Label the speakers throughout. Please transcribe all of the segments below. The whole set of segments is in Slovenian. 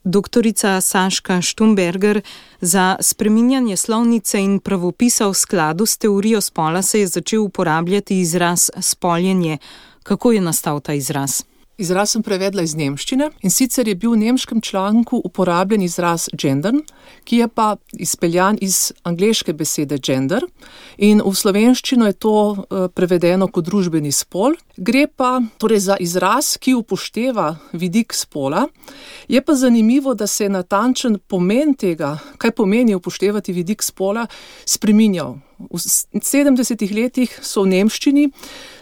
Speaker 1: Doktorica Saška Štumberger, za spreminjanje slovnice in pravopisa v skladu s teorijo spola se je začel uporabljati izraz spoljenje. Kako je nastal ta izraz?
Speaker 2: Izraz sem prevedla iz nemščine in sicer je bil v nemškem članku uporabljen izraz gendern, ki je pa izpeljan iz angleške besede gender in v slovenščino je to prevedeno kot družbeni spol. Gre pa torej za izraz, ki upošteva vidik spola. Je pa zanimivo, da se je natančen pomen tega, kaj pomeni upoštevati vidik spola, spreminjal. V 70. letih so v nemščini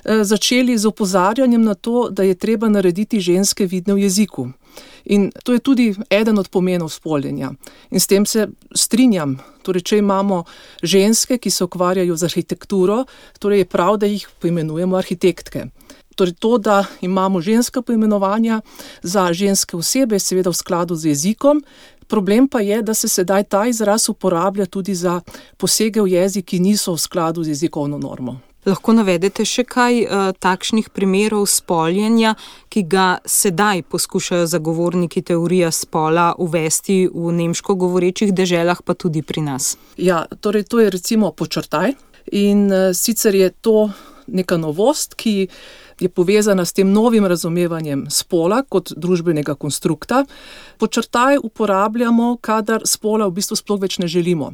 Speaker 2: začeli z opozarjanjem na to, da je treba narediti ženske vidne v jeziku. In to je tudi eden od pomenov spoljenja. In s tem se strinjam. Torej, če imamo ženske, ki se ukvarjajo z arhitekturo, torej je prav, da jih poimenujemo arhitektke. Torej to, da imamo ženska poimenovanja za ženske osebe, je seveda v skladu z jezikom. Problem pa je, da se sedaj ta izraz uporablja tudi za posege v jezik, ki niso v skladu z jezikovno normo.
Speaker 1: Lahko navedete še kaj takšnih primerov spoljenja, ki ga sedaj poskušajo zagovorniki teorije spola uvesti v nemško govorečih deželah, pa tudi pri nas? Ja,
Speaker 2: torej to je recimo počrtaj in sicer je to neka novost, ki je povezana s tem novim razumevanjem spola kot družbenega konstrukta. Počrtaj uporabljamo, kadar spola v bistvu sploh več ne želimo.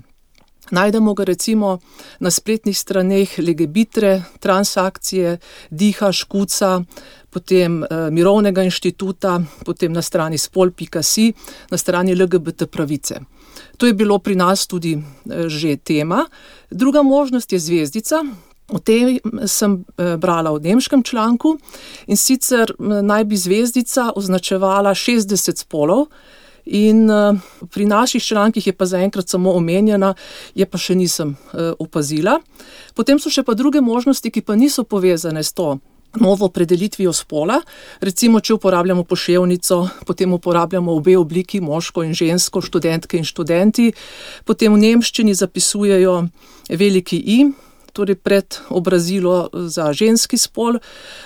Speaker 2: Najdemo ga recimo na spletnih straneh Legebitre, Transakcije, Diha, Škuca, potem Mirovnega inštituta, potem na strani spol.si, na strani LGBT pravice. To je bilo pri nas tudi že tema. Druga možnost je zvezdica. O tem sem brala v nemškem članku in sicer naj bi zvezdica označevala 60 spolov in pri naših člankih je pa zaenkrat samo omenjena, je pa še nisem opazila. Potem so še pa druge možnosti, ki pa niso povezane s to novo opredelitvijo spola. Recimo, če uporabljamo poševnico, potem uporabljamo obe obliki, moško in žensko, študentke in študenti. Potem v nemščini zapisujejo veliki I, torej pred obrazilo za ženski spol.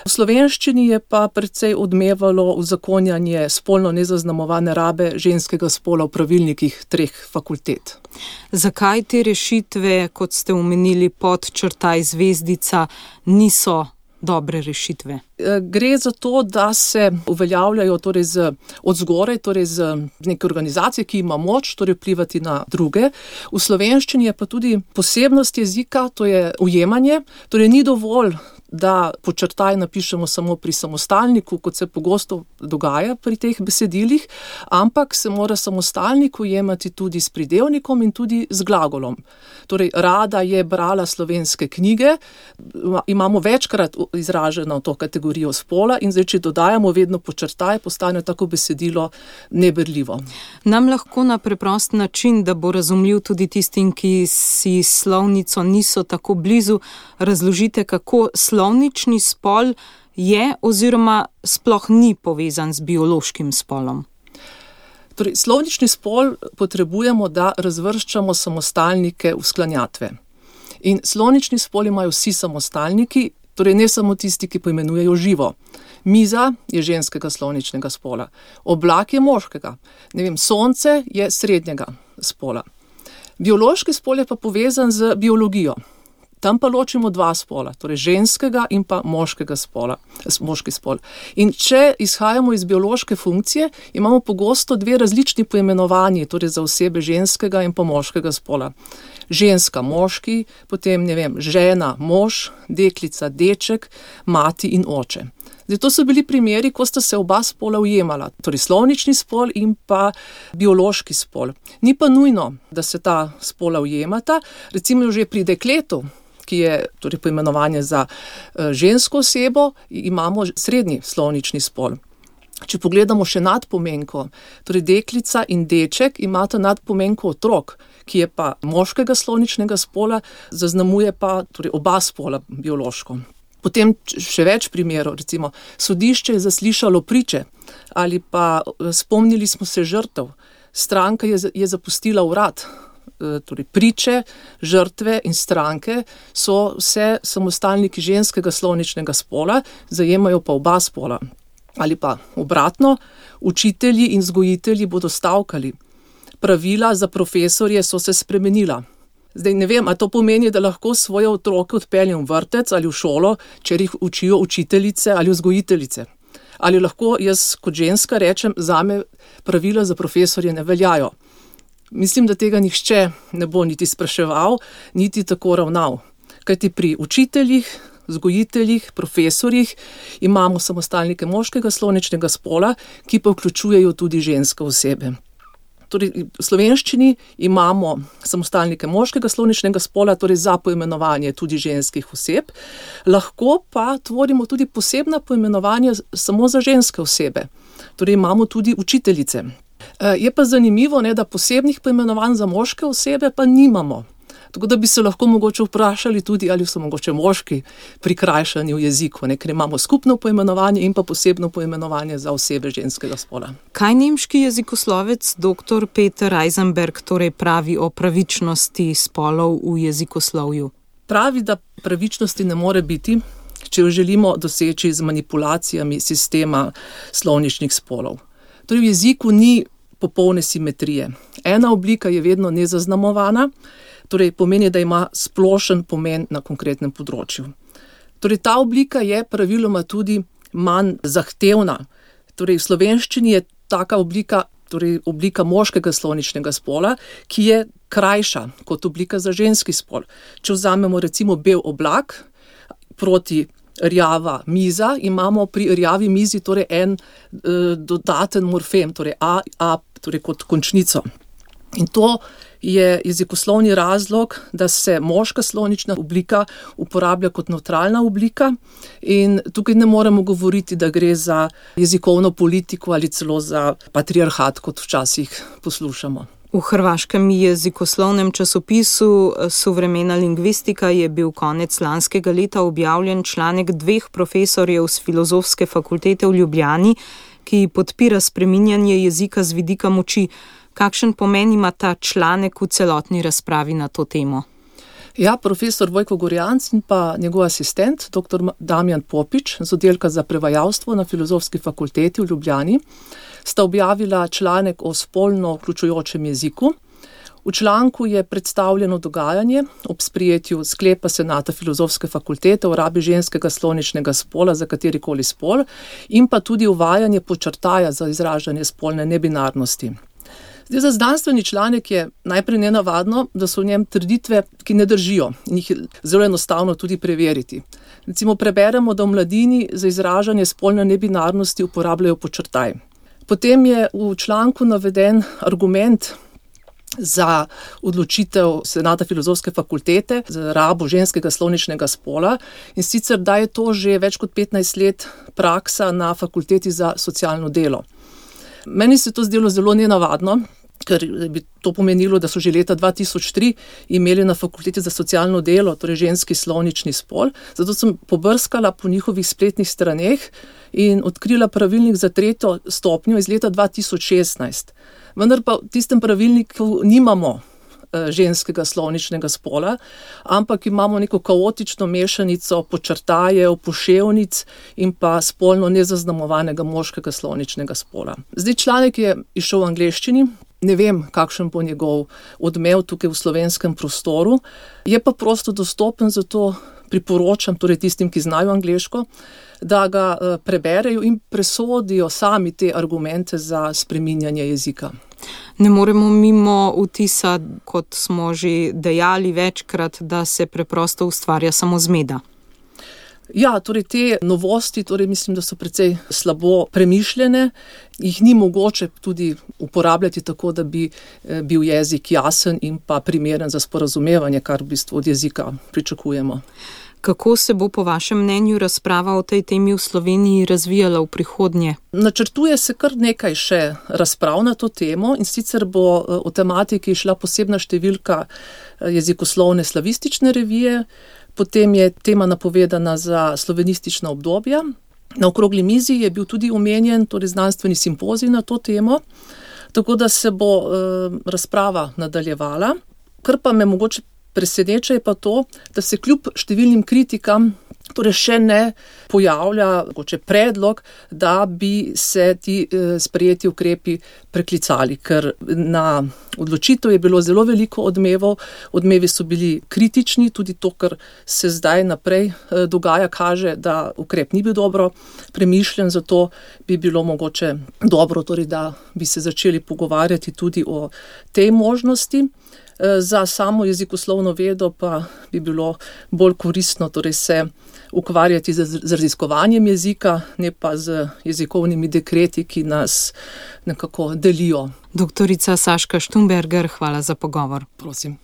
Speaker 2: V slovenščini je pa precej odmevalo uzakonjanje spolno nezaznamovane rabe ženskega spola v pravilnikih 3 fakultet.
Speaker 1: Zakaj te rešitve, kot ste omenili, podčrtaj zvezdica, niso dobre rešitve?
Speaker 2: Gre za to, da se uveljavljajo torej od zgoraj, torej z neke organizacije, ki ima moč torej vplivati na druge. V slovenščini je pa tudi posebnost jezika, to je ujemanje, torej ni dovolj, da počrtaj napišemo samo pri samostalniku, kot se pogosto dogaja pri teh besedilih, ampak se mora samostalnik ujemati tudi s pridevnikom in tudi z glagolom. Torej, Rada je brala slovenske knjige, imamo večkrat izraženo to kategorijo spola in zdaj, če dodajamo vedno počrtaj, postane tako besedilo neberljivo.
Speaker 1: Nam lahko na preprost način, da bo razumljiv tudi tistim, ki si slovnico niso tako blizu, razložite, kako slovnični spol je oziroma sploh ni povezan z biološkim spolom.
Speaker 2: Torej, slovnični spol potrebujemo, da razvrščamo samostalnike v sklanjatve. In slovnični spol imajo vsi samostalniki, torej ne samo tisti, ki poimenujejo živo. Miza je ženskega slovničnega spola, oblak je moškega, sonce je srednjega spola. Biološki spol je pa povezan z biologijo. Tam pa ločimo 2 spola, torej ženskega in pa moškega spola, moški spol. In če izhajamo iz biološke funkcije, imamo pogosto 2 različni poimenovanji, torej za osebe ženskega in pa moškega spola. Ženska, moški, potem, žena, mož, deklica, deček, mati in oče. Zdaj, to so bili primeri, ko sta se oba spola ujemala, torej slovnični spol in pa biološki spol. Ni pa nujno, da se ta spola ujemata, recimo že pri dekletu, ki je torej poimenovanje za žensko osebo, imamo srednji slovnični spol. Če pogledamo še nadpomenko, torej deklica in deček imata nadpomenko otrok, ki je pa moškega slovničnega spola, zaznamuje pa torej oba spola biološko. Potem še več primerov, recimo sodišče je zaslišalo priče ali pa spomnili smo se žrtev, stranka je zapustila urad. Torej priče, žrtve in stranke so vse samostalniki ženskega slovničnega spola, zajemajo pa oba spola. ali pa obratno, učitelji in vzgojitelji bodo stavkali. Pravila za profesorje so se spremenila. Zdaj ne vem, a to pomeni, da lahko svoje otroke odpeljem v vrtec ali v šolo, če jih učijo učiteljice ali vzgojiteljice. Ali lahko jaz kot ženska rečem, zame pravila za profesorje ne veljajo. Mislim, da tega nihče ne bo niti spraševal, niti tako ravnal. Kajti pri učiteljih, vzgojiteljih, profesorjih imamo samostalnike moškega sloničnega spola, ki pa vključujejo tudi ženske osebe. Torej, v slovenščini imamo samostalnike moškega sloničnega spola, torej za poimenovanje tudi ženskih oseb, lahko pa tvorimo tudi posebna poimenovanja samo za ženske osebe. Torej, imamo tudi učiteljice. Je pa zanimivo, da posebnih poimenovanj za moške osebe pa nimamo. Tako da bi se lahko mogoče vprašali tudi, ali so mogoče moški prikrajšani v jeziku, ker imamo skupno poimenovanje in pa posebno poimenovanje za osebe ženskega spola.
Speaker 1: Kaj nemški jezikoslovec dr. Peter Eisenberg torej pravi o pravičnosti spolov v jezikoslovju?
Speaker 2: Pravi, da pravičnosti ne more biti, če jo želimo doseči z manipulacijami sistema slovničnih spolov. Torej v jeziku ni popolne simetrije. Ena oblika je vedno nezaznamovana, torej pomeni, da ima splošen pomen na konkretnem področju. Torej ta oblika je praviloma tudi manj zahtevna. Torej v slovenščini je taka oblika, torej oblika moškega sloničnega spola, ki je krajša kot oblika za ženski spol. Če vzamemo recimo bel oblak proti rjava miza, imamo pri rjavi mizi torej en dodaten morfem, torej a torej kot končnico. In to je jezikoslovni razlog, da se moška slonična oblika uporablja kot nevtralna oblika in tukaj ne moremo govoriti, da gre za jezikovno politiko ali celo za patriarhat, kot včasih poslušamo.
Speaker 1: V hrvaškem jezikoslovnem časopisu Suvremena lingvistika je bil konec lanskega leta objavljen članek 2 profesorjev z Filozofske fakultete v Ljubljani, ki podpira spreminjanje jezika z vidika moči. Kakšen pomen ima ta članek v celotni razpravi na to temo?
Speaker 2: Ja, profesor Vojko Gorjanc in pa njegov asistent, dr. Damjan Popič z oddelka za prevajalstvo na Filozofski fakulteti v Ljubljani, sta objavila članek o spolno vključujočem jeziku. V članku je predstavljeno dogajanje ob sprejetju sklepa Senata Filozofske fakultete o rabi ženskega sloničnega spola za katerikoli spol in pa tudi uvajanje podčrtaja za izražanje spolne nebinarnosti. Zdaj, za znanstveni članek je najprej nenavadno, da so v njem trditve, ki ne držijo in jih je zelo enostavno tudi preveriti. Recimo preberemo, da v mladini za izražanje spolne nebinarnosti uporabljajo podčrtaj. Potem je v članku naveden argument za odločitev Senata Filozofske fakultete za rabo ženskega sloničnega spola in sicer, da je to že več kot 15 let praksa na fakulteti za socialno delo. Meni se to zdelo zelo nenavadno, ker bi to pomenilo, da so že leta 2003 imeli na fakulteti za socialno delo, torej ženski slovnični spol. Zato sem pobrskala po njihovih spletnih straneh in odkrila pravilnik za 3. stopnjo iz leta 2016. Vendar pa v tistem pravilniku nimamo ženskega slovničnega spola, ampak imamo neko kaotično mešanico podčrtajev, poševnic in pa spolno nezaznamovanega moškega slovničnega spola. Zdaj, članek je izšel v angleščini, ne vem, kakšen bo njegov odmev tukaj v slovenskem prostoru, je pa prosto dostopen, zato priporočam torej tistim, ki znajo angleško, da ga preberejo in presodijo sami te argumente za spreminjanje jezika.
Speaker 1: Ne moremo mimo vtisa, kot smo že dejali večkrat, da se preprosto ustvarja samo zmeda.
Speaker 2: Ja, torej te novosti, torej mislim, da so precej slabo premišljene, jih ni mogoče tudi uporabljati tako, da bi bil jezik jasen in pa primeren za sporazumevanje, kar v bistvu od jezika pričakujemo.
Speaker 1: Kako se bo po vašem mnenju razprava o tej temi v Sloveniji razvijala v prihodnje?
Speaker 2: Načrtuje se kar nekaj še razprav na to temo in sicer bo o tematiki šla posebna številka jezikoslovne slavistične revije, potem je tema napovedana za slovenistična obdobja. Na okrogli mizi je bil tudi omenjen torej znanstveni simpozij na to temo, tako da se bo razprava nadaljevala. Kar pa me mogoče preseneča je pa to, da se kljub številnim kritikam Torej še ne pojavlja predlog, da bi se ti sprejeti ukrepi preklicali, ker na odločitev je bilo zelo veliko odmevov. Odmevi so bili kritični, tudi to, kar se zdaj naprej dogaja, kaže, da ukrep ni bil dobro premišljen, zato bi bilo mogoče dobro, torej, da bi se začeli pogovarjati tudi o tej možnosti. Za samo jezikoslovno vedo pa bi bilo bolj koristno torej se ukvarjati z raziskovanjem jezika, ne pa z jezikovnimi dekreti, ki nas nekako delijo.
Speaker 1: Doktorica Saška Štumberger, hvala za pogovor.
Speaker 2: Prosim.